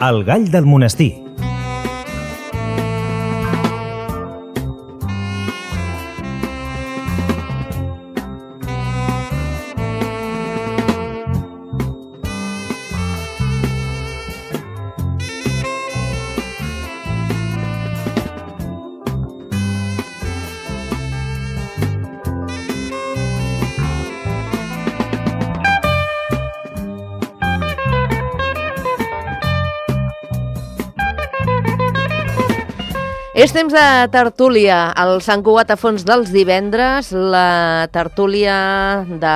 El gall del monestir. És temps de tertúlia, el Sant Cugat a fons dels divendres, la tertúlia de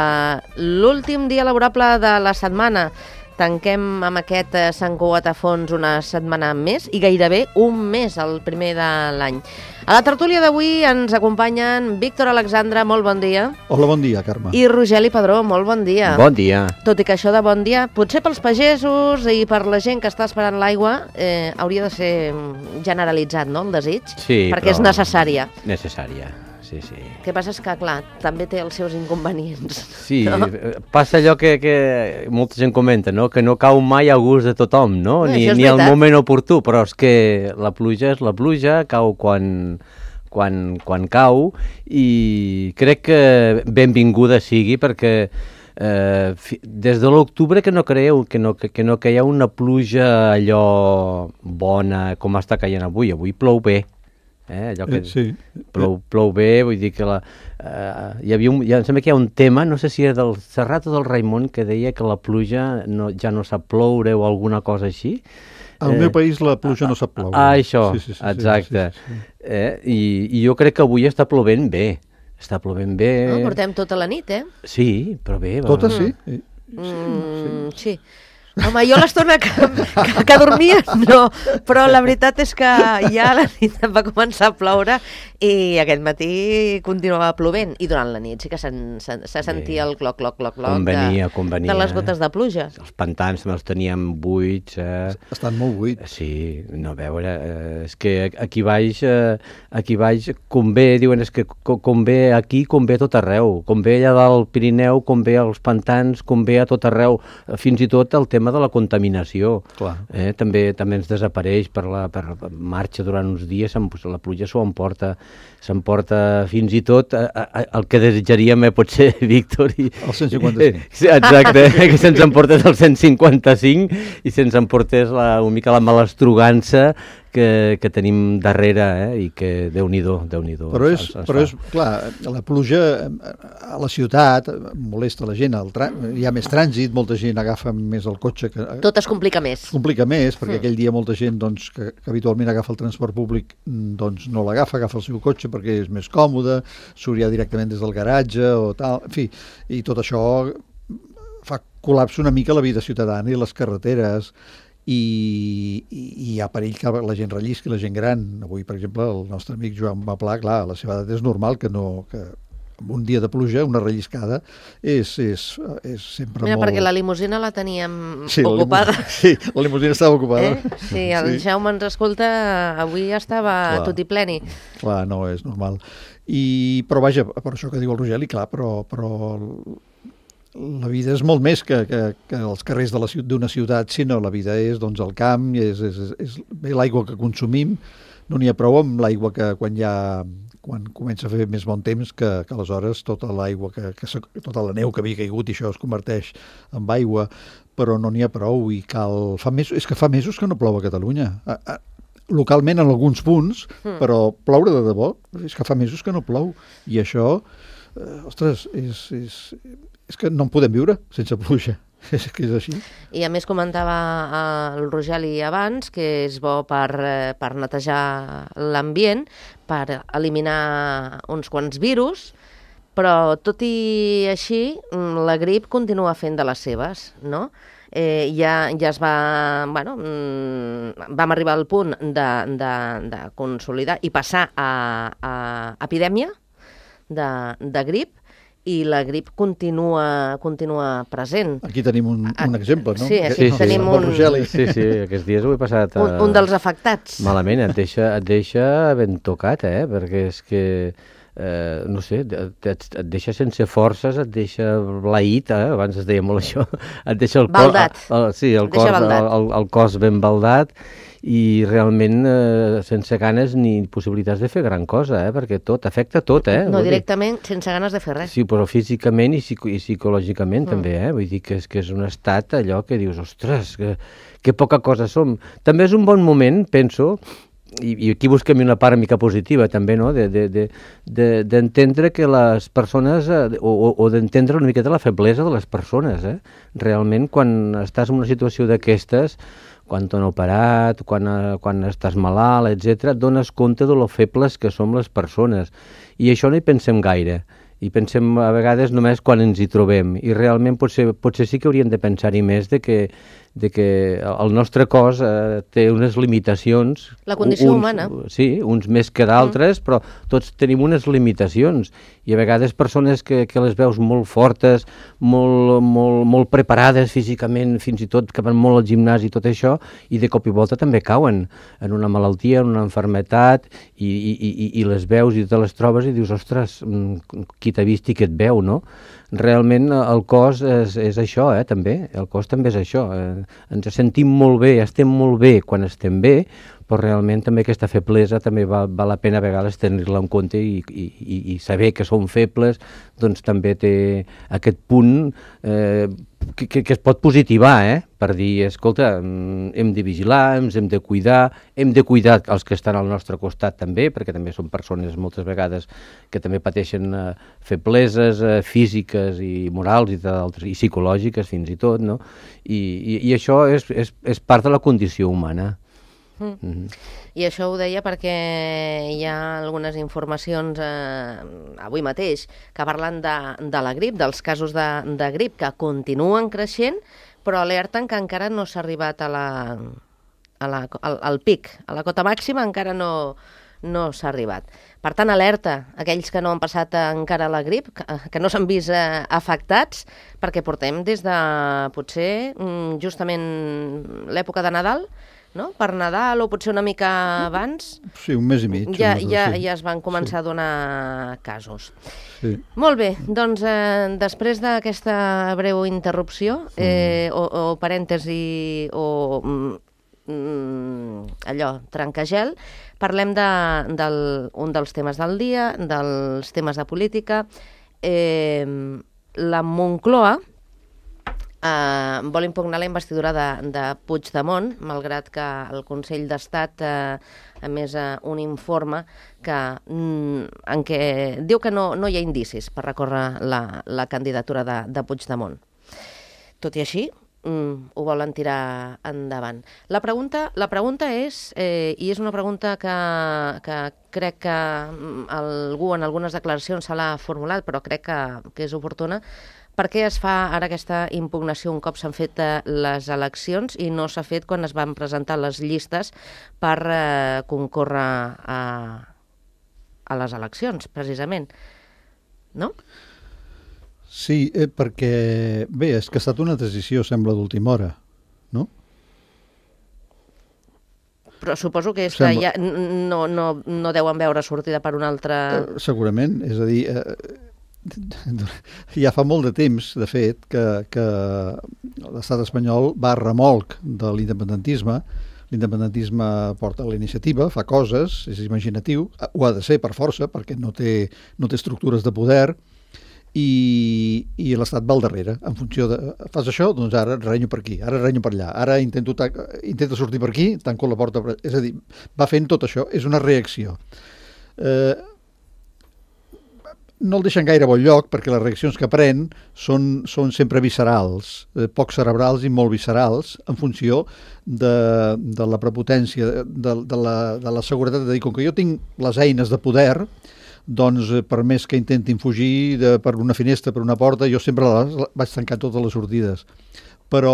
l'últim dia laborable de la setmana. Tanquem amb aquest Sant Cugat a fons una setmana més i gairebé un mes, el primer de l'any. A la tertúlia d'avui ens acompanyen Víctor Alexandre, molt bon dia. Hola, bon dia, Carme. I Rogeli Padró, molt bon dia. Bon dia. Tot i que això de bon dia, potser pels pagesos i per la gent que està esperant l'aigua, hauria de ser generalitzat, no?, el desig? Sí, perquè és necessària. Necessària, sí, sí. El que passa és que, clar, també té els seus inconvenients. Sí, no? Passa allò que molta gent comenta, no?, que no cau mai a gust de tothom, no? Ni al moment oportú, però és que la pluja és la pluja, cau quan cau, i crec que benvinguda sigui, perquè des de l'octubre que no creieu que no caia una pluja allò bona com està caient avui plou bé. Allò que sí. Plou bé, vull dir que em sembla que hi ha un tema, no sé si era del Serrat o del Raimon, que deia que la pluja ja no sap ploure o alguna cosa així. Al meu país la pluja no sap ploure. Això, sí, exacte. Sí. I jo crec que avui està plovent bé. Està plovent bé. No, portem tota la nit, Sí, però bé. Tota sí? Sí. Home, jo l'estona que dormia, no, però la veritat és que ja la nit va començar a ploure i aquest matí continuava plovent, i durant la nit sí que se sentia el cloc de les gotes de pluja. Els pantans també els teníem buits. Estan molt buits. Sí, no, a veure, és que aquí baix convé, diuen, és que convé aquí, convé a tot arreu, convé allà del Pirineu, convé als pantans, convé a tot arreu, fins i tot el tema de la contaminació. També ens desapareix per marxa durant uns dies, la pluja s'emporta fins i tot el que desitjaríem, potser, Víctor. El 155. Exacte, que se'ns emportés el 155 i se'ns emportés una mica la malastrugança que tenim darrere, i que Déu-n'hi-do. Però és, clar, la pluja a la ciutat molesta la gent, hi ha més trànsit, molta gent agafa més el cotxe. Tot es complica més. Complica més, perquè aquell dia molta gent que habitualment agafa el transport públic no l'agafa, agafa el seu cotxe perquè és més còmode, surt ja directament des del garatge o tal, en fi, i tot això fa col·lapse una mica la vida ciutadana i les carreteres, i hi ha perill que la gent rellisqui, la gent gran. Avui, per exemple, el nostre amic Joan Maplà, clar, a la seva edat és normal que en un dia de pluja una relliscada és sempre molt... Perquè la limusina la teníem ocupada. La limusina estava ocupada. Sí, el Jaume ens escolta, avui estava tot i pleni. Clar, no, és normal. Però vaja, per això que diu el Rogeli, clar, però la vida és molt més que els carrers d'una ciutat, sinó la vida és el camp, és l'aigua que consumim. No n'hi ha prou amb l'aigua que quan comença a fer més bon temps, que aleshores tota l'aigua, tota la neu que havia caigut i això es converteix en aigua, però no n'hi ha prou i és que fa mesos que no plou a Catalunya. Localment en alguns punts, però ploure de debò, és que fa mesos que no plou. I això, ostres, és que no en podem viure sense pluja. És que és així. I a més comentava el Rogeli abans que és bo per netejar l'ambient, per eliminar uns quants virus, però tot i així la grip continua fent de les seves, no? Ja es va... vam arribar al punt de consolidar i passar a epidèmia de grip, i la grip continua present. Aquí tenim un exemple, no? Sí, tenim un... Sí, aquests dies ho he passat... Un dels afectats. Malament, et deixa ben tocat, perquè és que no sé, et deixa sense forces, et deixa blaït, abans es deia molt això, et deixa el cos... Baldat. El cos ben baldat, i realment sense ganes ni possibilitats de fer gran cosa, perquè tot, afecta tot, No, directament, sense ganes de fer res. Sí, però físicament i psicològicament també, vull dir que és un estat allò que dius, ostres, que poca cosa som. També és un bon moment, penso, i aquí busquem una part mica positiva també, no?, d'entendre que les persones, o d'entendre una miqueta la feblesa de les persones, realment quan estàs en una situació d'aquestes, quan t'han operat, quan estàs malalt, etc., et dones compte de lo febles que som les persones, i això no hi pensem gaire, i pensem a vegades només quan ens hi trobem, i realment potser sí que hauríem de pensar-hi més de que el nostre cos té unes limitacions. La condició humana. Sí, uns més que d'altres, però tots tenim unes limitacions, i a vegades persones que les veus molt fortes, molt preparades físicament, fins i tot que van molt al gimnàs i tot això, i de cop i volta també cauen en una malaltia, en una malaltia, i les veus i te les trobes i dius, ostres, qui t'ha vist i qui et veu, no? Realment el cos és això, també, el cos també és això, ens sentim molt bé, estem molt bé quan estem bé, però realment també aquesta feblesa també val la pena a vegades tenir-la en compte i saber que som febles, doncs també té aquest punt que es pot positivar, per dir, escolta, hem de vigilar, ens hem de cuidar els que estan al nostre costat també, perquè també són persones moltes vegades que també pateixen febleses físiques i morals i psicològiques fins i tot, no? I això és part de la condició humana. I això ho deia perquè hi ha algunes informacions avui mateix que parlen de la grip, dels casos de grip que continuen creixent, però alerten que encara no s'ha arribat al pic, a la cota màxima encara no s'ha arribat. Per tant, alerta aquells que no han passat encara la grip, que no s'han vist afectats, perquè portem des de potser justament l'època de Nadal, no? Per Nadal o potser una mica abans. Sí, un mes i mig. Ja es van començar a donar casos. Sí. Molt bé, doncs després d'aquesta breu interrupció, o parèntesi, o allò, trencagel, parlem d'un dels temes del dia, dels temes de política. La Moncloa vol impugnar la investidura de Puigdemont, malgrat que el Consell d'Estat ha emès un informe en què diu que no hi ha indicis per recórrer la candidatura de Puigdemont. Tot i així, ho volen tirar endavant. La pregunta és, i és una pregunta que crec que algú en algunes declaracions se l'ha formulat, però crec que és oportuna. Per què es fa ara aquesta impugnació un cop s'han fet les eleccions i no s'ha fet quan es van presentar les llistes per concórrer a les eleccions, precisament? No? Sí, perquè, bé, és que ha estat una decisió, sembla, d'última hora, no? Però suposo que és que ja no deuen veure sortida per una altra... Segurament, és a dir... ja fa molt de temps, de fet, que l'estat espanyol va a remolc de l'independentisme. L'independentisme porta la iniciativa, fa coses, és imaginatiu, ho ha de ser per força, perquè no té estructures de poder, i l'estat va al darrere, en funció de... Fas això, doncs ara renyo per aquí, ara renyo per allà, ara intento sortir per aquí, tanco la porta... És a dir, va fent tot això, és una reacció. No el deixen gaire bon lloc, perquè les reaccions que pren són sempre viscerals, poc cerebrals i molt viscerals, en funció de la prepotència, de la seguretat de dir, com que jo tinc les eines de poder, doncs per més que intentin fugir per una finestra, per una porta, jo sempre vaig tancar totes les sortides. Però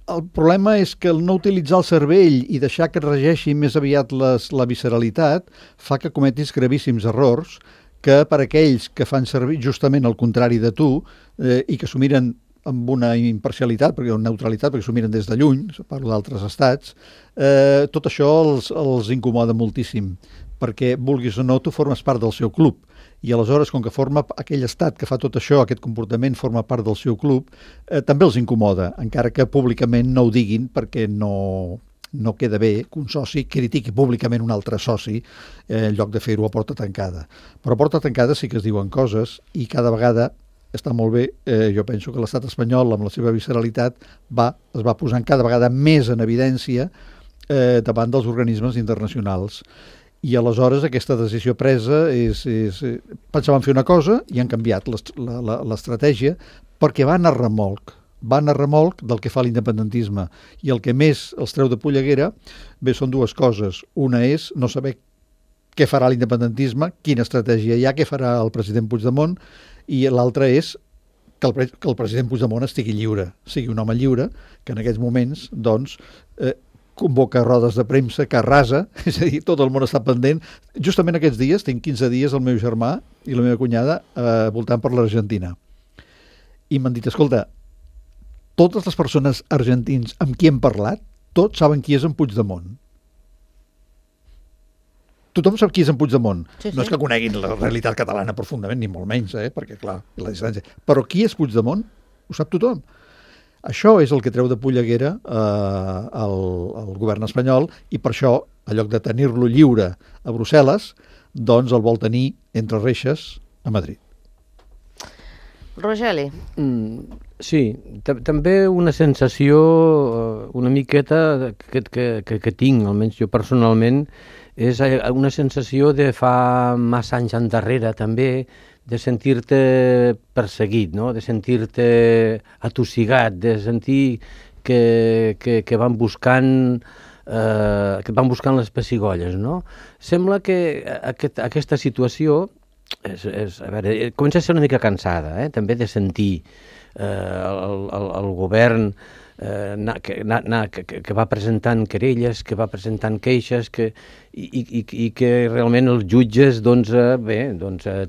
el problema és que el no utilitzar el cervell i deixar que et regeixi més aviat la visceralitat fa que cometis gravíssims errors que per aquells que fan servir justament el contrari de tu i que s'ho miren amb una imparcialitat, perquè neutralitat, perquè s'ho miren des de lluny, parlo d'altres estats, tot això els incomoda moltíssim, perquè, vulguis o no, tu formes part del seu club. I aleshores, com que forma aquell estat que fa tot això, aquest comportament forma part del seu club, també els incomoda, encara que públicament no ho diguin, perquè no queda bé que un soci critiqui públicament un altre soci en lloc de fer-ho a porta tancada. Però a porta tancada sí que es diuen coses i cada vegada està molt bé. Jo penso que l'estat espanyol, amb la seva visceralitat, es va posant cada vegada més en evidència davant dels organismes internacionals. I aleshores aquesta decisió presa pensaven fer una cosa i han canviat l'estratègia perquè van a remolc del que fa l'independentisme, i el que més els treu de polleguera són dues coses. Una és no saber què farà l'independentisme, quina estratègia hi ha, què farà el president Puigdemont, i l'altra és que el president Puigdemont estigui lliure, sigui un home lliure, que en aquests moments convoca rodes de premsa que arrasa, és a dir, tot el món està pendent. Justament aquests dies, tinc 15 dies el meu germà i la meva cunyada voltant per l'Argentina. I m'han dit, escolta, totes les persones argentins amb qui hem parlat, tots saben qui és en Puigdemont. Tothom sap qui és en Puigdemont. Sí. No és que coneguin la realitat catalana profundament, ni molt menys, perquè, clar, la distància. Però qui és Puigdemont? Ho sap tothom. Això és el que treu de polleguera el govern espanyol, i per això, en lloc de tenir-lo lliure a Brussel·les, doncs el vol tenir entre reixes a Madrid. Rogeli. Sí, també una sensació una miqueta que tinc, almenys jo personalment, és una sensació de fa massa anys endarrere també, de sentir-te perseguit, no? De sentir-te atossigat, de sentir que van buscant les pessigolles, no? Sembla que aquesta situació a veure, comença a ser una mica cansada, també de sentir el govern que va presentant querelles, que va presentant queixes, i que realment els jutges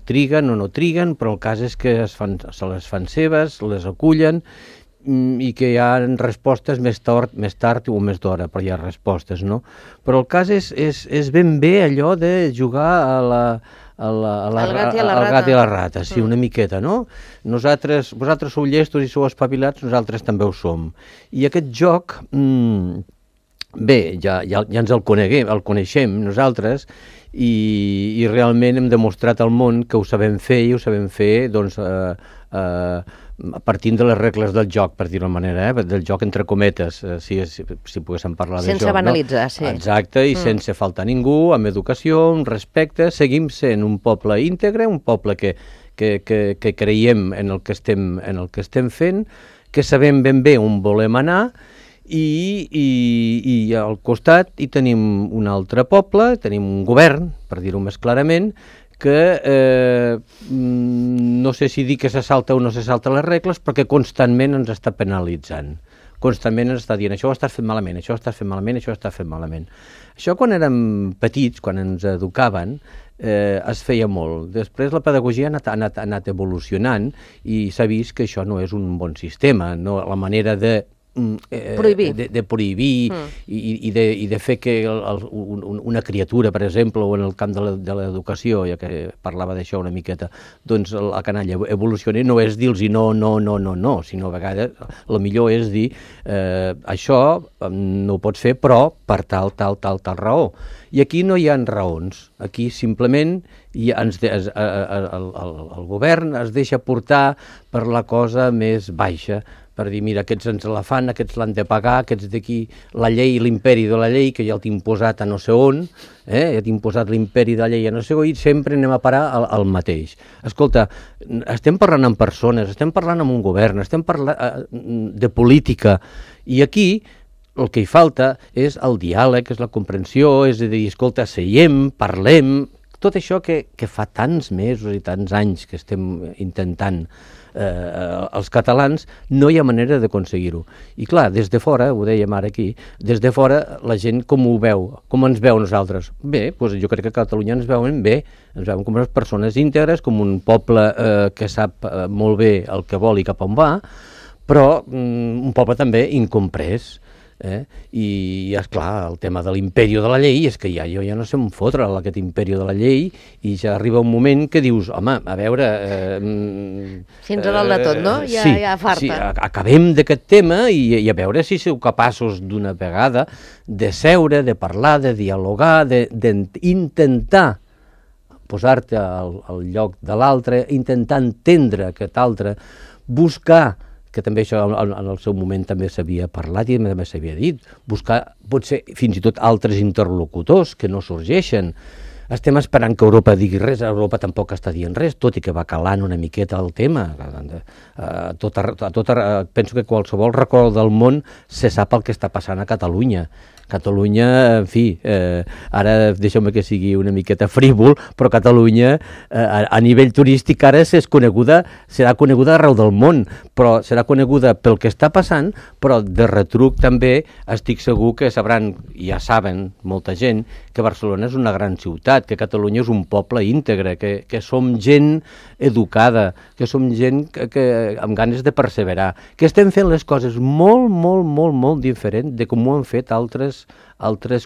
triguen o no triguen, però el cas és que se les fan seves, les acullen, i que hi ha respostes més tard o més d'hora, però hi ha respostes, no? Però el cas és ben bé allò de jugar al gat i la rata, sí, una miqueta, no? Vosaltres sou llestos i sou espavilats, nosaltres també ho som. I aquest joc, ja ens el coneixem nosaltres, i realment hem demostrat al món que ho sabem fer, i ho sabem fer, partint de les regles del joc, per dir-ho manera, del joc entre cometes, si poguéssim parlar de joc. Sense banalitzar, sí. Exacte, i sense faltar ningú, amb educació, amb respecte. Seguim sent un poble íntegre, un poble que creiem en el que estem fent, que sabem ben bé on volem anar, i al costat hi tenim un altre poble, tenim un govern, per dir-ho més clarament, que no sé si dir que se salta o no se salta les regles, perquè constantment ens està penalitzant. Constantment ens està dient això ho estàs fent malament, això ho estàs fent malament, això ho estàs fent malament. Això quan érem petits, quan ens educaven, es feia molt. Després la pedagogia ha anat evolucionant i s'ha vist que això no és un bon sistema, no? La manera de prohibir i de fer que una criatura, per exemple, o en el camp de l'educació, ja que parlava d'això una miqueta, doncs la canalla evolucioni, no és dir-los no, sinó a vegades el millor és dir això no ho pots fer, però per tal raó. I aquí no hi ha raons, aquí simplement el govern es deixa portar per la cosa més baixa, per dir, mira, aquests ens la fan, aquests l'han de pagar, aquests d'aquí, la llei, l'imperi de la llei, que ja t'he imposat a no sé on, ja t'he imposat l'imperi de la llei a no sé on, i sempre anem a parar al mateix. Escolta, estem parlant amb persones, estem parlant amb un govern, estem parlant de política, i aquí el que hi falta és el diàleg, és la comprensió, és a dir, escolta, seiem, parlem, tot això que fa tants mesos i tants anys que estem intentant els catalans, no hi ha manera d'aconseguir-ho. I clar, des de fora, ho dèiem ara aquí, des de fora la gent com ho veu, com ens veu nosaltres? Bé, doncs jo crec que a Catalunya ens veuen bé, ens veuen com unes persones íntegres, com un poble que sap molt bé el que vol i cap on va, però un poble també incomprès, I, esclar, el tema de l'imperi de la llei és que jo ja no sé on fotre aquest imperi de la llei i ja arriba un moment que dius, home, a veure... Fins a dalt de tot, no? Ja farta. Sí, acabem d'aquest tema i a veure si sou capaços d'una vegada de seure, de parlar, de dialogar, d'intentar posar-te al lloc de l'altre, intentar entendre aquest altre, buscar, que també això en el seu moment també s'havia parlat i també s'havia dit, buscar potser fins i tot altres interlocutors que no sorgeixen. Estem esperant que Europa digui res, Europa tampoc està dient res, tot i que va calant una miqueta el tema. Penso que qualsevol racó del món se sap el que està passant a Catalunya. Catalunya, en fi, ara deixeu-me que sigui una miqueta frívol, però Catalunya a nivell turístic ara serà coneguda arreu del món, però serà coneguda pel que està passant, però de retruc també estic segur que sabran, ja saben molta gent, que Barcelona és una gran ciutat, que Catalunya és un poble íntegre, que som gent educada, que som gent amb ganes de perseverar, que estem fent les coses molt, molt, molt, molt diferent de com ho han fet altres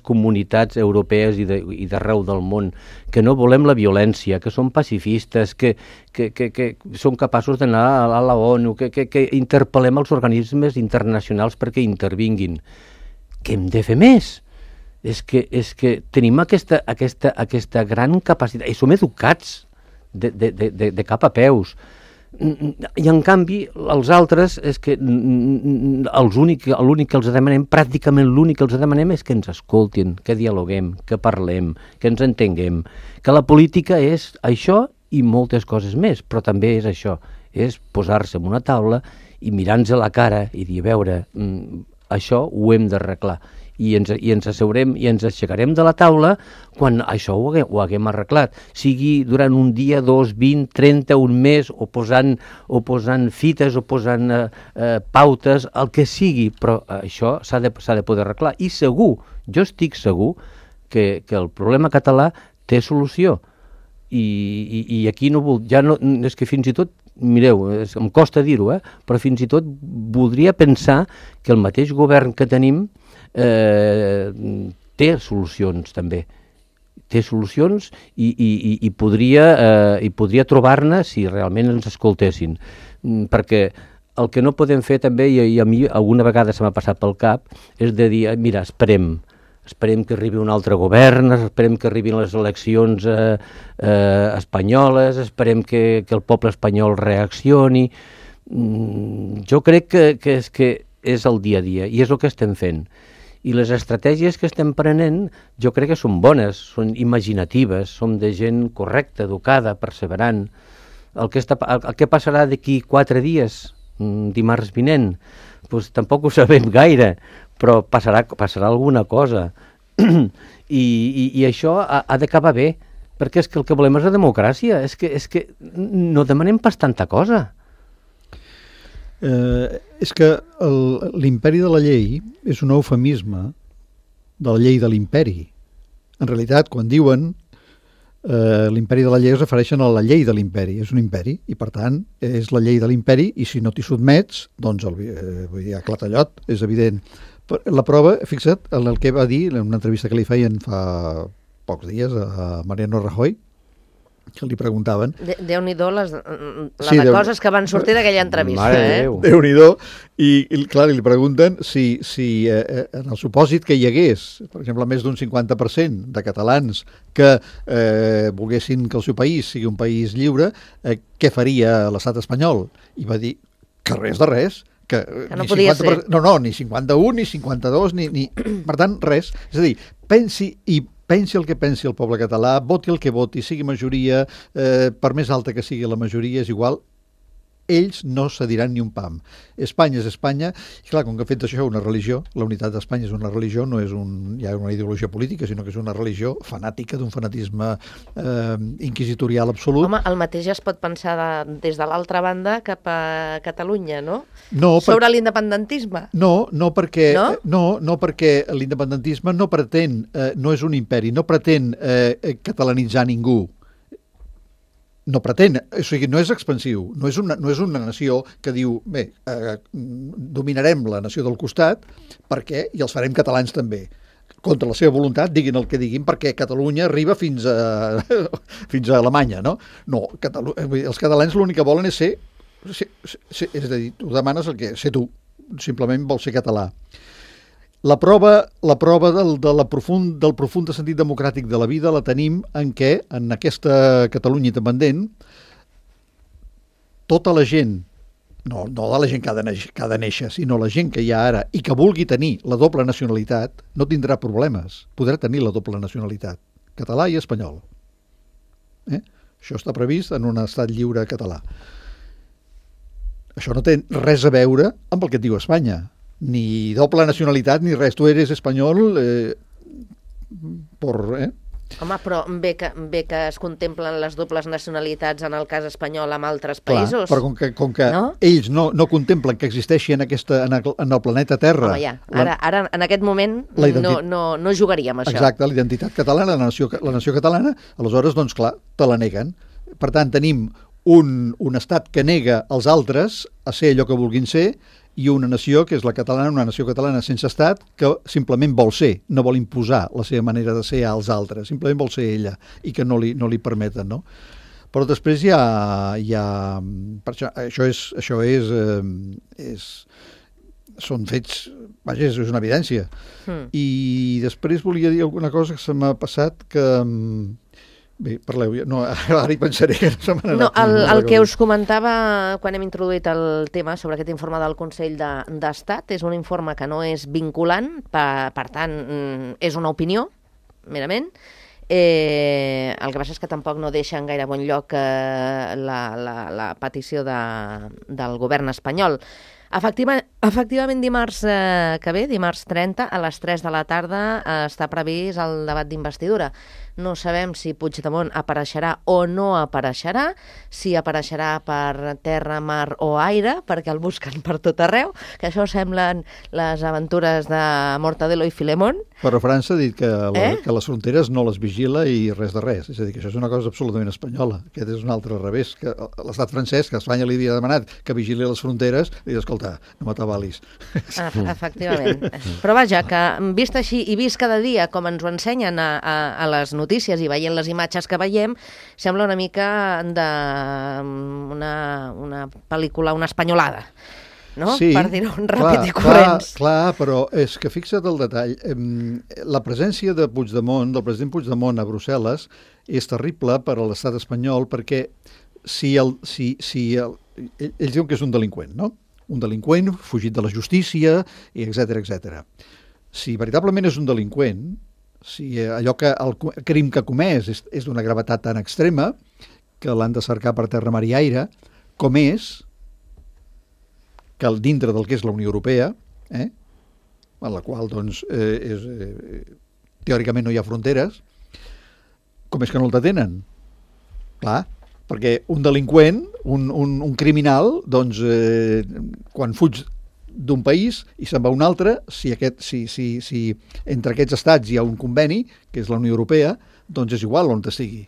comunitats europees i d'arreu del món, que no volem la violència, que som pacifistes, que som capaços d'anar a la ONU, que interpel·lem els organismes internacionals perquè intervinguin. Què hem de fer més? És que tenim aquesta gran capacitat, i som educats de cap a peus. I en canvi els altres és que l'únic que els demanem, pràcticament l'únic que els demanem és que ens escoltin, que dialoguem, que parlem, que ens entenguem, que la política és això i moltes coses més, però també és això, és posar-se en una taula i mirar-nos a la cara i dir, a veure, això ho hem d'arreglar. I ens asseurem i ens aixecarem de la taula quan això ho haguem arreglat, sigui durant un dia, 2, 20, 30, un mes, o posant fites, o posant pautes, el que sigui, però això s'ha de poder arreglar. I segur, jo estic segur que el problema català té solució. I aquí és que fins i tot, mireu, em costa dir-ho, però fins i tot voldria pensar que el mateix govern que tenim té solucions també, té solucions i podria trobar-ne si realment ens escoltessin, perquè el que no podem fer també, i a mi alguna vegada se m'ha passat pel cap, és de dir, mira, esperem que arribi un altre govern, esperem que arribin les eleccions espanyoles, esperem que el poble espanyol reaccioni. Jo crec que és el dia a dia i és el que estem fent. I les estratègies que estem prenent jo crec que són bones, són imaginatives, som de gent correcta, educada, perseverant. El que passarà d'aquí 4 dies, dimarts vinent, doncs tampoc ho sabem gaire, però passarà alguna cosa. I això ha d'acabar bé, perquè és que el que volem és la democràcia, és que no demanem pas tanta cosa. És que l'imperi de la llei és un eufemisme de la llei de l'imperi. En realitat, quan diuen l'imperi de la llei es refereixen a la llei de l'imperi. És un imperi i, per tant, és la llei de l'imperi i si no t'hi sotmets, doncs vull dir, a clatallot, és evident. La prova, fixa't, en el que va dir en una entrevista que li feien fa pocs dies a Mariano Rajoy, que li preguntaven... Déu-n'hi-do de coses que van sortir d'aquella entrevista. Déu-n'hi-do. I clar, li pregunten si en el supòsit que hi hagués, per exemple, més d'un 50% de catalans que volguessin que el seu país sigui un país lliure, què faria l'estat espanyol? I va dir que res de res, que no podia ser. No, ni 51, ni 52, ni... Per tant, res. És a dir, pensi el que pensi el poble català, voti el que voti, sigui majoria, per més alta que sigui la majoria, és igual, ells no cediran ni un pam. Espanya és Espanya, i clar, com que ha fet això una religió, la unitat d'Espanya és una religió, no és ja una ideologia política, sinó que és una religió fanàtica, d'un fanatisme inquisitorial absolut. Home, el mateix es pot pensar des de l'altra banda cap a Catalunya, no? Sobre l'independentisme? No perquè l'independentisme no pretén, no és un imperi, no pretén catalanitzar ningú. no pretén, o sigui, no és expansiu, no és una nació que diu, bé, dominarem la nació del costat perquè i els farem catalans també. Contra la seva voluntat, diguin el que diguin, perquè Catalunya arriba fins a Alemanya, no? No, els catalans l'únic que volen és ser, és a dir, tu demanes el que ser tu, simplement vols ser català. La prova del profund sentit democràtic de la vida la tenim en què, en aquesta Catalunya independent, tota la gent, no de la gent que ha de néixer, sinó la gent que hi ha ara i que vulgui tenir la doble nacionalitat, no tindrà problemes. Podrà tenir la doble nacionalitat, català i espanyol. Això està previst en un estat lliure català. Això no té res a veure amb el que et diu Espanya. Ni doble nacionalitat ni res. Tu eres espanyol Home, però bé que es contemplen les dobles nacionalitats en el cas espanyol amb altres països. Clar, però com que no? Ells no contemplen que existeixi en el planeta Terra... Home, ja. Ara, en aquest moment, no jugaríem això. Exacte, la identitat catalana, la nació catalana, aleshores, doncs clar, te la neguen. Per tant, tenim un estat que nega als altres a ser allò que vulguin ser i una nació, que és la catalana, una nació catalana sense estat, que simplement vol ser, no vol imposar la seva manera de ser als altres, simplement vol ser ella, i que no li permeten, no? Però després hi ha això són fets, vaja, és una evidència. I després volia dir alguna cosa que se m'ha passat que... Bé, parleu, no, ara hi pensaré. No, el que us comentava quan hem introduït el tema sobre aquest informe del Consell d'Estat és un informe que no és vinculant, per tant, és una opinió, merament. El que passa és que tampoc no deixa en gaire bon lloc la petició del govern espanyol. Efectivament, dimarts que ve, dimarts 30, a les 3 de la tarda, està previst el debat d'investidura. No sabem si Puigdemont apareixerà o no apareixerà, si apareixerà per terra, mar o aire, perquè el busquen per tot arreu, que això semblen les aventures de Mortadelo i Filemón. Però França ha dit que les fronteres no les vigila i res de res. És a dir, que això és una cosa absolutament espanyola. Aquest és un altre revés. Que l'estat francès, que Espanya li havia demanat que vigili les fronteres, li diu, escolta, no m'atabalis. Efectivament. Però vaja, que vist així i vist cada dia com ens ho ensenyen a les notícies i veient les imatges que veiem, sembla una mica una pel·lícula, una espanyolada, no? Sí, per dir-ho ràpid i corrents. Clar, però és que fixa't el detall. La presència de Puigdemont, del president Puigdemont a Brussel·les, és terrible per a l'estat espanyol perquè ells diuen que és un delinqüent, no? Un delinqüent fugit de la justícia, etc. Si veritablement és un delinqüent, si allò que el crim que ha comès és d'una gravetat tan extrema que l'han de cercar per terra, mar i aire, com és que dintre del que és la Unió Europea, en la qual doncs, teòricament no hi ha fronteres, com és que no el detenen? Clar, perquè un delinqüent, un criminal, doncs, quan fuig d'un país i se'n va a un altre, si entre aquests estats hi ha un conveni, que és la Unió Europea, doncs és igual on estigui.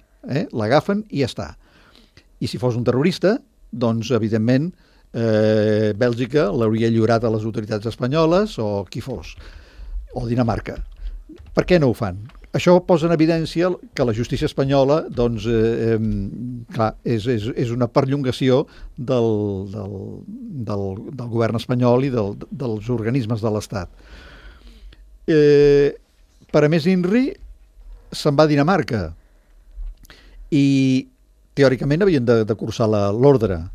L'agafen i ja està. I si fos un terrorista, doncs, evidentment, Bèlgica l'hauria lliurat a les autoritats espanyoles o qui fos, o Dinamarca. Per què no ho fan? Això posa en evidència que la justícia espanyola doncs, clar, és una perllongació del govern espanyol i dels organismes de l'Estat. Per a més INRI se'n va a Dinamarca i teòricament havien de cursar l'ordre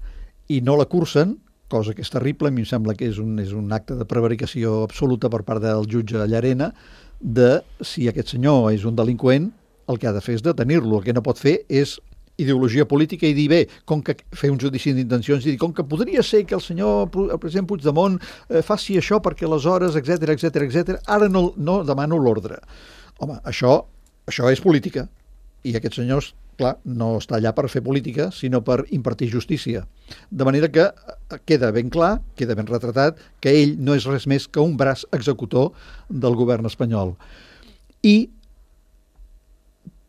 i no la cursen, cosa que és terrible, a mi em sembla que és un acte de prevaricació absoluta per part del jutge Llarena, de si aquest senyor és un delinqüent, el que ha de fer és detenir-lo. El que no pot fer és ideologia política i dir, bé, com que fer un judici d'intencions i dir, com que podria ser que el president Puigdemont faci això perquè aleshores, etc, ara no demano l'ordre. Home, això és política. I aquest senyor, clar, no està allà per fer política, sinó per impartir justícia. De manera que queda ben clar, queda ben retratat, que ell no és res més que un braç executor del govern espanyol. I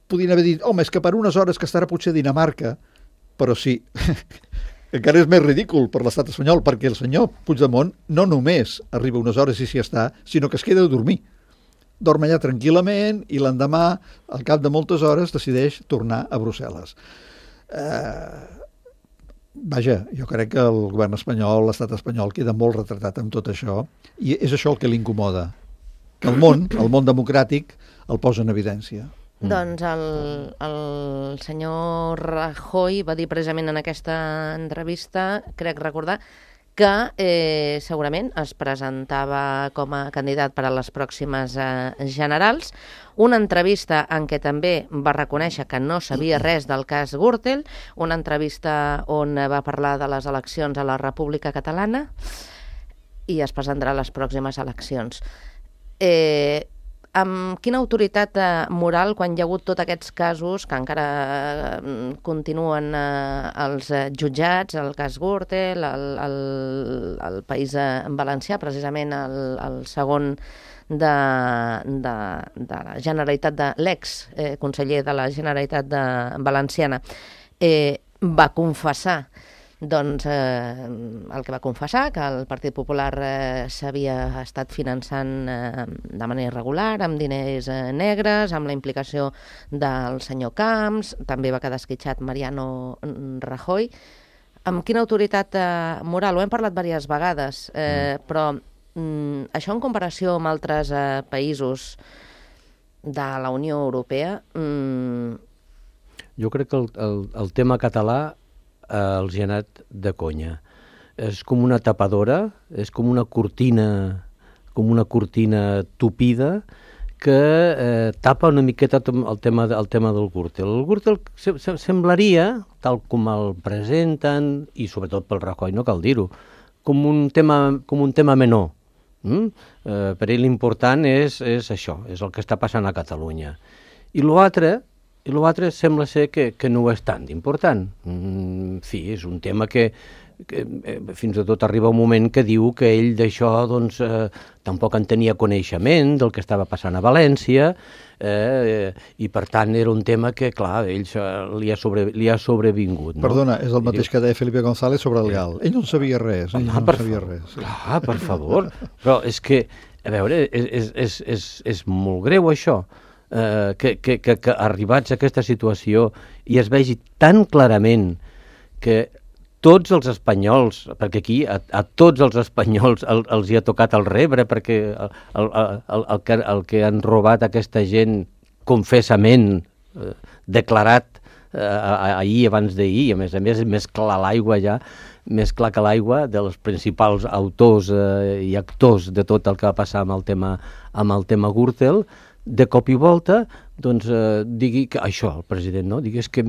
podien haver dit, home, és que per unes hores que estarà potser a Dinamarca però sí, encara és més ridícul per l'estat espanyol, perquè el senyor Puigdemont no només arriba unes hores i s'hi està, sinó que es queda a dormir. Dorm allà tranquil·lament i l'endemà, al cap de moltes hores, decideix tornar a Brussel·les. Vaja, jo crec que el govern espanyol, l'estat espanyol, queda molt retratat amb tot això, i és això el que l'incomoda, que el món democràtic, el posa en evidència. Doncs el senyor Rajoy va dir precisament en aquesta entrevista, crec recordar, que segurament es presentava com a candidat per a les pròximes generals. Una entrevista en què també va reconèixer que no sabia res del cas Gürtel, una entrevista on va parlar de les eleccions a la República Catalana i es presentarà a les pròximes eleccions. Amb quina autoritat moral, quan hi ha hagut tots aquests casos que encara continuen els jutjats, el cas Gürtel, el País Valencià, precisament el segon de la Generalitat, de l'ex-conseller de la Generalitat Valenciana, va confessar doncs el que va confessar, que el Partit Popular s'havia estat finançant de manera irregular, amb diners negres, amb la implicació del senyor Camps, també va quedar esquitxat Mariano Rajoy. Amb quina autoritat moral? Ho hem parlat diverses vegades, però això en comparació amb altres països de la Unió Europea... Jo crec que el tema català els hi ha anat de conya. És com una tapadora, és com una cortina tupida que tapa una miqueta el tema del Gürtel. El Gürtel semblaria, tal com el presenten, i sobretot pel Rajoy, no cal dir-ho, com un tema menor. Per ell l'important és això, és el que està passant a Catalunya. I l'altre sembla ser que no és tan important. En fi, és un tema que fins i tot arriba un moment que diu que ell d'això doncs, tampoc en tenia coneixement del que estava passant a València i per tant era un tema que, clar, ell li ha sobrevingut. No? Perdona, és el mateix que deia Felipe González sobre el GAL. Ell no en sabia res. Clar, per favor. Però és que, a veure, és molt greu això. Que arribats a aquesta situació i es vegi tan clarament que tots els espanyols, perquè aquí a tots els espanyols els hi ha tocat el rebre, perquè el que han robat aquesta gent confessament declarat ahir, abans d'ahir, a més més clar l'aigua ja, més clar que l'aigua, dels principals autors i actors de tot el que va passar amb el tema Gürtel, de cop i volta, doncs, digui que això, el president, no? Digui, és que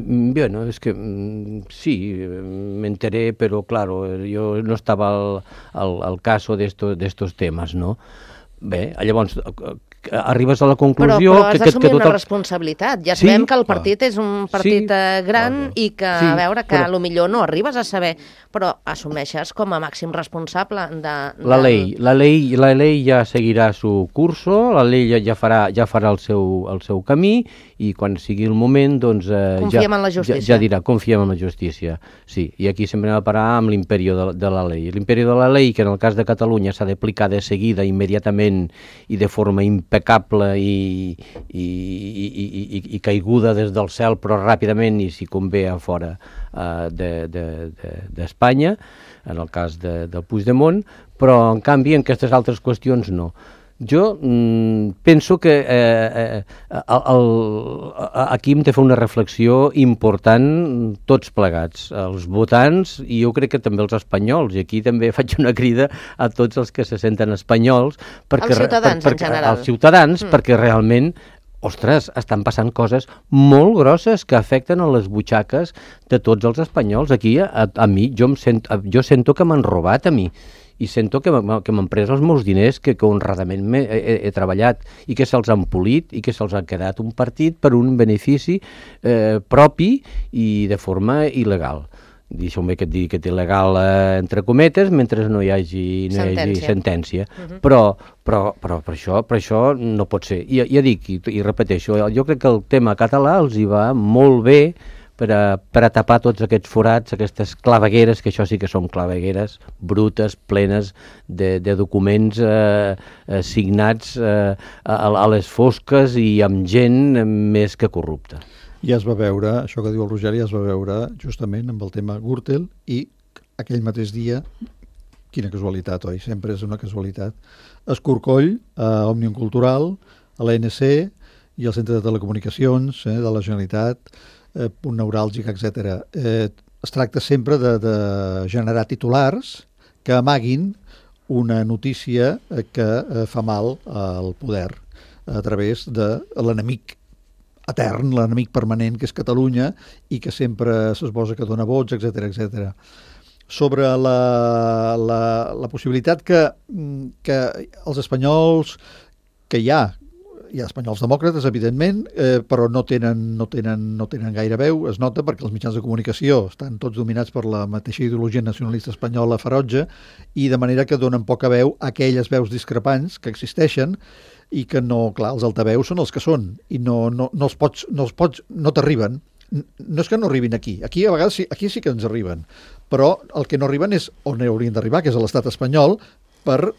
sí, m'enteré, però, claro, jo no estava al caso d'estos temes, no? Bé, llavors, arribes a la conclusió... Però has d'assumir una responsabilitat. Ja sabem que el partit és un partit gran i que, a veure, que potser no arribes a saber, però assumeixes com a màxim responsable de... La ley ja seguirà su curso, la ley ja farà el seu camí i quan sigui el moment, doncs... Confiem en la justícia. Ja dirà, confiem en la justícia, sí. I aquí sempre anem a parar amb l'imperio de la ley. L'imperio de la ley, que en el cas de Catalunya s'ha d'aplicar de seguida, immediatament i de forma impecable i caiguda des del cel, però ràpidament i si convé a fora d'Espanya, en el cas del Puigdemont, però en canvi en aquestes altres qüestions no. Jo penso que aquí hem de fer una reflexió important tots plegats, els votants i jo crec que també els espanyols, i aquí també faig una crida a tots els que se senten espanyols, els ciutadans en general. Els ciutadans, perquè realment ostres, estan passant coses molt grosses que afecten a les butxaques de tots els espanyols. Aquí, a mi, jo sento que m'han robat a mi i sento que m'han pres els meus diners que honradament he treballat i que se'ls han polit i que se'ls ha quedat un partit per un benefici propi i de forma il·legal. Deixeu-me que et digui que és il·legal entre cometes mentre no hi hagi sentència. Però per això no pot ser. Ja dic i repeteixo, jo crec que el tema català els hi va molt bé per a tapar tots aquests forats, aquestes clavegueres, que això sí que són clavegueres brutes, plenes de documents signats a les fosques i amb gent més que corrupta. Ja es va veure, això que diu el Roger, ja es va veure justament amb el tema Gürtel i aquell mateix dia, quina casualitat, oi? Sempre és una casualitat. Escorcoll, a Òmnium Cultural, a l'ANC i al Centre de Telecomunicacions de la Generalitat, punt neuràlgic, etc. Es tracta sempre de generar titulars que amaguin una notícia que fa mal al poder a través de l'enemic etern, l'enemic permanent, que és Catalunya, i que sempre s'esbosa que dona vots, etc etc. Sobre la possibilitat que els espanyols, que hi ha espanyols demòcrates, evidentment, però no tenen gaire veu, es nota perquè els mitjans de comunicació estan tots dominats per la mateixa ideologia nacionalista espanyola ferotge, i de manera que donen poca veu a aquelles veus discrepants que existeixen i que no, clar, els altaveus són els que són i no t'arriben. No és que no arribin aquí a vegades sí, aquí sí que ens arriben, però el que no arriben és on haurien d'arribar, que és a l'estat espanyol, per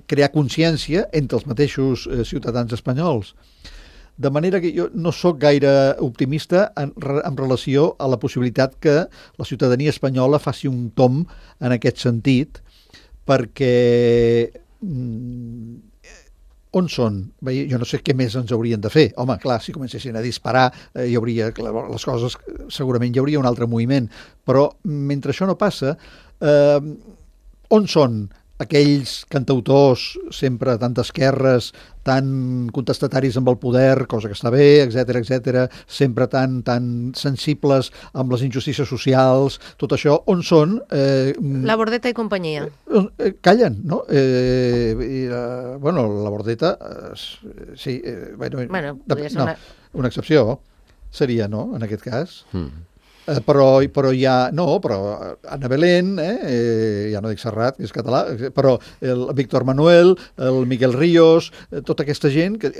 crear consciència entre els mateixos ciutadans espanyols. De manera que jo no sóc gaire optimista en relació a la possibilitat que la ciutadania espanyola faci un tomb en aquest sentit, perquè on són? Bé, jo no sé què més ens haurien de fer. Home, clar, si comencessin a disparar, hi hauria, clar, les coses, segurament hi hauria un altre moviment, però mentre això no passa, on són aquells cantautors sempre tan d'esquerres, tan contestataris amb el poder, cosa que està bé, etc, sempre tan sensibles amb les injustícies socials, tot això, on són? La Bordeta i companyia. Callen, no? Bueno, la Bordeta, sí, Bueno, podria ser una excepció seria, no?, en aquest cas. Però ja, no, però Ana Belén, ja no dic Serrat, que és català, però el Víctor Manuel, el Miguel Ríos, tota aquesta gent que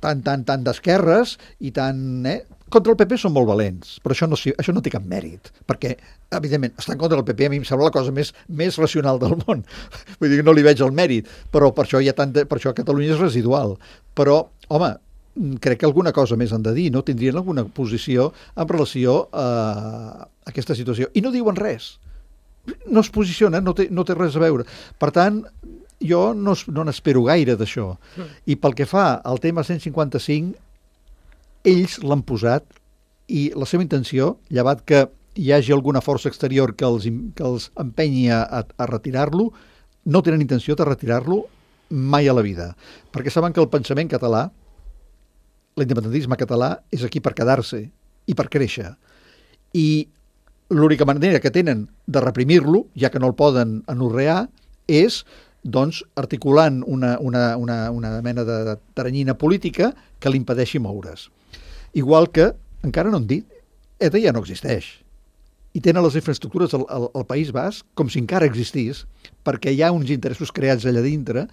tan d'esquerres i tan... Contra el PP són molt valents, però això no té cap mèrit, perquè, evidentment, estar en contra del PP a mi em sembla la cosa més racional del món. Vull dir que no li veig el mèrit, però per això per això Catalunya és residual. Però, home, crec que alguna cosa més han de dir, no? Tindrien alguna posició en relació a aquesta situació. I no diuen res. No es posicionen, no té res a veure. Per tant, jo no n'espero gaire d'això. I pel que fa al tema 155, ells l'han posat i la seva intenció, llevat que hi hagi alguna força exterior que els empenyi a retirar-lo, no tenen intenció de retirar-lo mai a la vida. Perquè saben que el pensament català, l'independentisme català, és aquí per quedar-se i per créixer. I l'única manera que tenen de reprimir-lo, ja que no el poden anorrear, és, doncs, articulant una mena de teranyina política que li impedeixi moure's. Igual que, encara no han dit, ETA ja no existeix. I tenen les infraestructures al País Basc com si encara existís, perquè hi ha uns interessos creats allà dintre,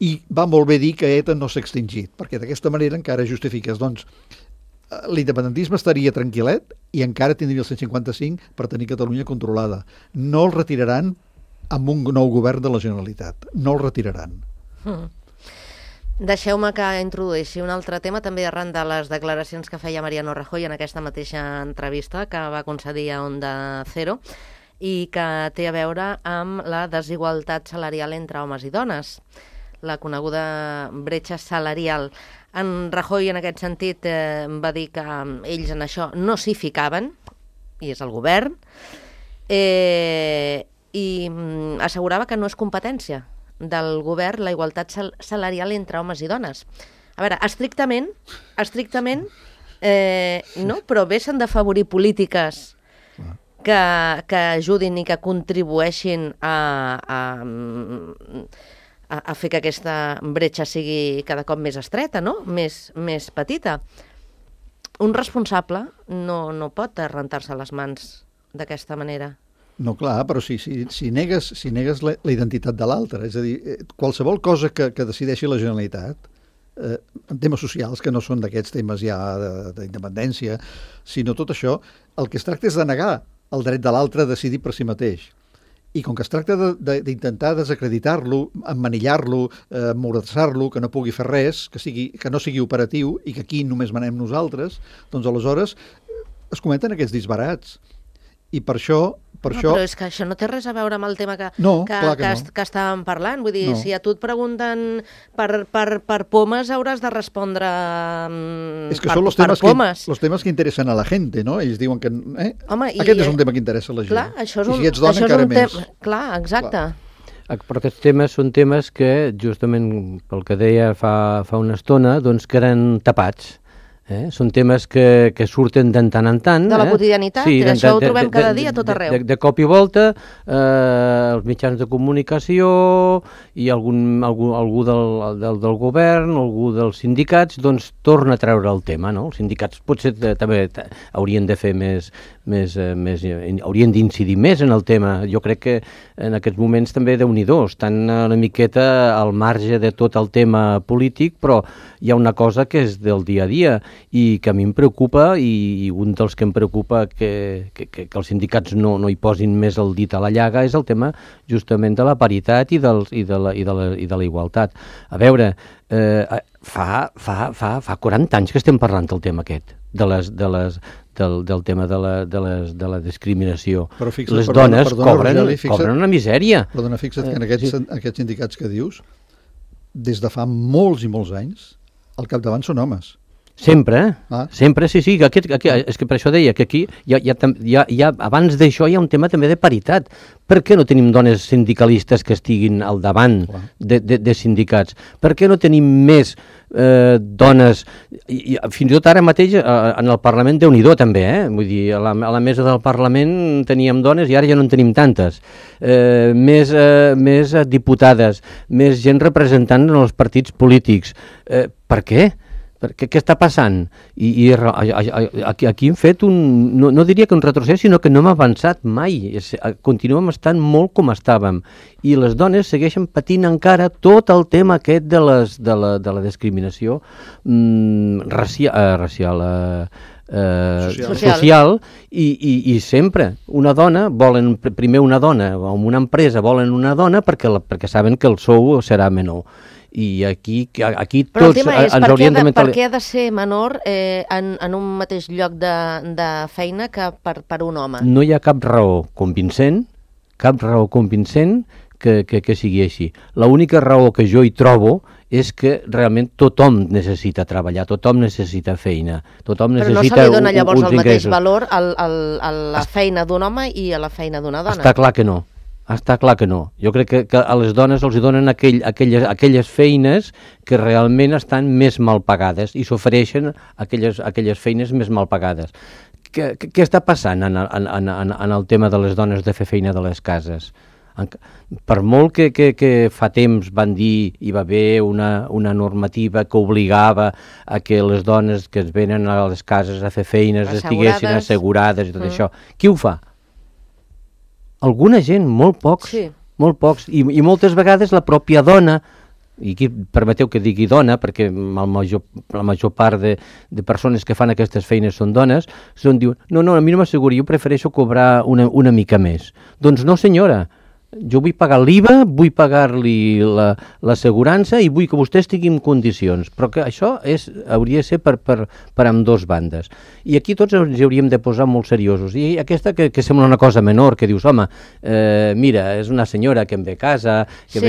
i va molt bé dir que ETA no s'ha extingit, perquè d'aquesta manera encara justifiques, doncs, l'independentisme estaria tranquil·let i encara tindria el 155 per tenir Catalunya controlada. No el retiraran amb un nou govern de la Generalitat. No el retiraran. Deixeu-me que introdueixi un altre tema, també arran de les declaracions que feia Mariano Rajoy en aquesta mateixa entrevista que va concedir a Onda Cero i que té a veure amb la desigualtat salarial entre homes i dones, la coneguda bretxa salarial. En Rajoy, en aquest sentit, va dir que ells en això no s'hi ficaven, i és el govern, i assegurava que no és competència del govern la igualtat salarial entre homes i dones. A veure, estrictament, no, però bé s'han d'afavorir polítiques que ajudin i que contribueixin a fer que aquesta bretxa sigui cada cop més estreta, no? Més petita. Un responsable no pot rentar-se les mans d'aquesta manera. No, clar, però si negues la identitat de l'altre, és a dir, qualsevol cosa que decideixi la Generalitat, en temes socials, que no són d'aquests temes ja d'independència, sinó tot això, el que es tracta és de negar el dret de l'altre a decidir per si mateix. I com que es tracta d'intentar desacreditar-lo, emmanillar-lo, emmordassar-lo, que no pugui fer res, que no sigui operatiu i que aquí només manem nosaltres, doncs aleshores es comenten aquests disbarats. I per això... Però és que això no té res a veure amb el tema que estàvem parlant. Vull dir, si a tu et pregunten per pomes, hauràs de respondre per pomes. Els temes que interessen a la gent, no? Ells diuen que... Aquest és un tema que interessa a la gent. Clar, això és I si ets dona, encara més. Clar, exacte. Però aquests temes són temes que, justament pel que deia fa una estona, doncs queden tapats. Són temes que surten de tant en tant. De la quotidianitat, sí, això ho trobem cada dia tot arreu. De cop i volta, els mitjans de comunicació i algú del govern, algú dels sindicats, doncs torna a treure el tema, no? Els sindicats potser també haurien de fer haurien d'incidir més en el tema. Jo crec que en aquests moments també Déu-n'hi-do, estan una miqueta al marge de tot el tema polític, però hi ha una cosa que és del dia a dia i que a mi em preocupa, i un dels que em preocupa que els sindicats no hi posin més el dit a la llaga, és el tema justament de la paritat i de la igualtat. A veure, fa 40 anys que estem parlant del tema aquest, del tema de la discriminació. Les dones cobren una misèria. Perdona, fixa't que en aquests sindicats que dius, des de fa molts i molts anys, al capdavant són homes. Sempre, sempre, sí. És que per això deia que aquí, abans d'això hi ha un tema també de paritat. Per què no tenim dones sindicalistes que estiguin al davant de sindicats? Per què no tenim més dones, fins i tot ara mateix en el Parlament, Déu-n'hi-do també, vull dir, a la mesa del Parlament teníem dones i ara ja no en tenim tantes, més diputades, més gent representant en els partits polítics. Per què? Què està passant? I aquí hem fet no diria que un retrocés, sinó que no hem avançat mai. Continuem estant molt com estàvem. I les dones segueixen patint encara tot el tema aquest de la discriminació racial, social, i sempre una dona, volen primer una dona, o en una empresa volen una dona perquè saben que el sou serà menor. I aquí tots ens hauríem de mentalitzar. Per què ha de ser menor en un mateix lloc de feina que per un home? No hi ha cap raó convincent que sigui així. L'única raó que jo hi trobo és que realment tothom necessita treballar, tothom necessita feina, tothom necessita uns ingressos. Però no se li dona llavors el mateix valor a la feina d'un home i a la feina d'una dona? Està clar que no. Jo crec que a les dones els donen aquelles feines que realment estan més mal pagades i s'ofereixen aquelles feines més mal pagades. Què està passant en el tema de les dones de fer feina de les cases? Per molt que fa temps van dir hi va haver una normativa que obligava a que les dones que es venen a les cases a fer feines estiguessin assegurades i tot això, qui ho fa? Alguna gent, molt pocs, i moltes vegades la pròpia dona, i aquí permeteu que digui dona, perquè la major part de persones que fan aquestes feines són dones, diuen, no, a mi no m'asseguri, jo prefereixo cobrar una mica més. Doncs no, senyora, jo vull pagar l'IVA, vull pagar-li l'assegurança i vull que vostè estigui en condicions, però que això hauria de ser per ambdós bandes. I aquí tots ens hauríem de posar molt seriosos. I aquesta que sembla una cosa menor, que dius, home, mira, és una senyora que em ve a casa, que em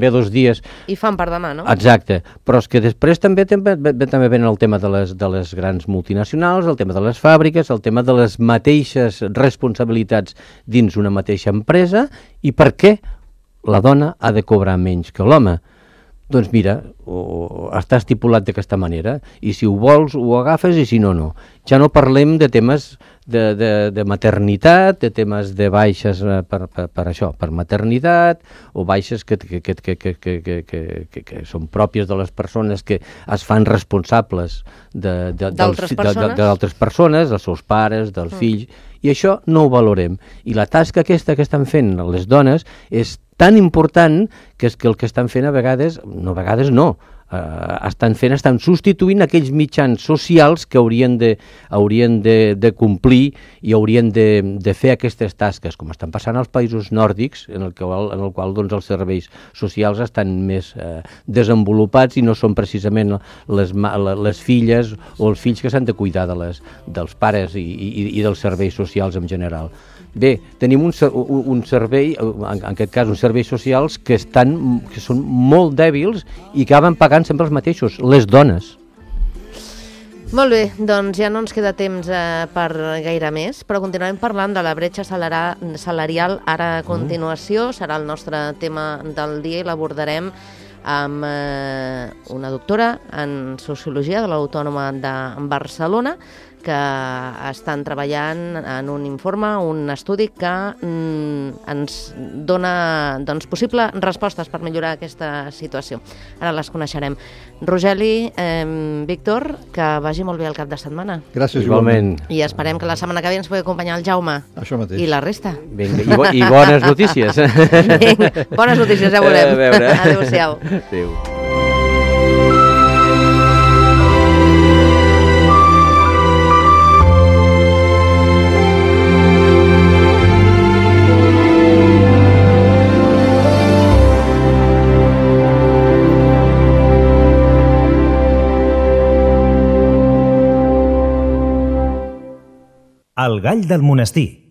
ve 2 dies. I fan per demà, no? Exacte, però és que després també ven el tema de les grans multinacionals, el tema de les fàbriques, el tema de les mateixes responsabilitats dins una mateixa empresa, i per què la dona ha de cobrar menys que l'home? Doncs mira, està estipulat d'aquesta manera, i si ho vols ho agafes i si no, no. Ja no parlem de temes de maternitat, de temes de baixes per això, per maternitat, o baixes que són pròpies de les persones que es fan responsables d'altres persones, dels seus pares, dels fills, i això no ho valorem. I la tasca aquesta que estan fent les dones és tan important que és que el que estan fent a vegades no, estan substituint aquells mitjans socials que haurien de complir i haurien de fer aquestes tasques, com estan passant als països nòrdics, en el qual doncs, els serveis socials estan més desenvolupats i no són precisament les filles o els fills que s'han de cuidar dels pares i dels serveis socials en general. Bé, tenim un servei, en aquest cas uns serveis socials que són molt dèbils i que acaben pagant sempre els mateixos, les dones. Molt bé, doncs ja no ens queda temps per gaire més, però continuarem parlant de la bretxa salarial ara a continuació. Serà el nostre tema del dia i l'abordarem amb una doctora en Sociologia de l'Autònoma de Barcelona, que estan treballant en un informe, un estudi que ens dona possibles respostes per millorar aquesta situació. Ara les coneixerem. Rogeli, Víctor, que vagi molt bé el cap de setmana. Gràcies, igualment. I esperem que la setmana que ve ens pugui acompanyar el Jaume. Això mateix. I la resta. Vinga, i bones notícies. Vinga, bones notícies, ja veurem. Adéu-siau. Adéu. El gall del monestir.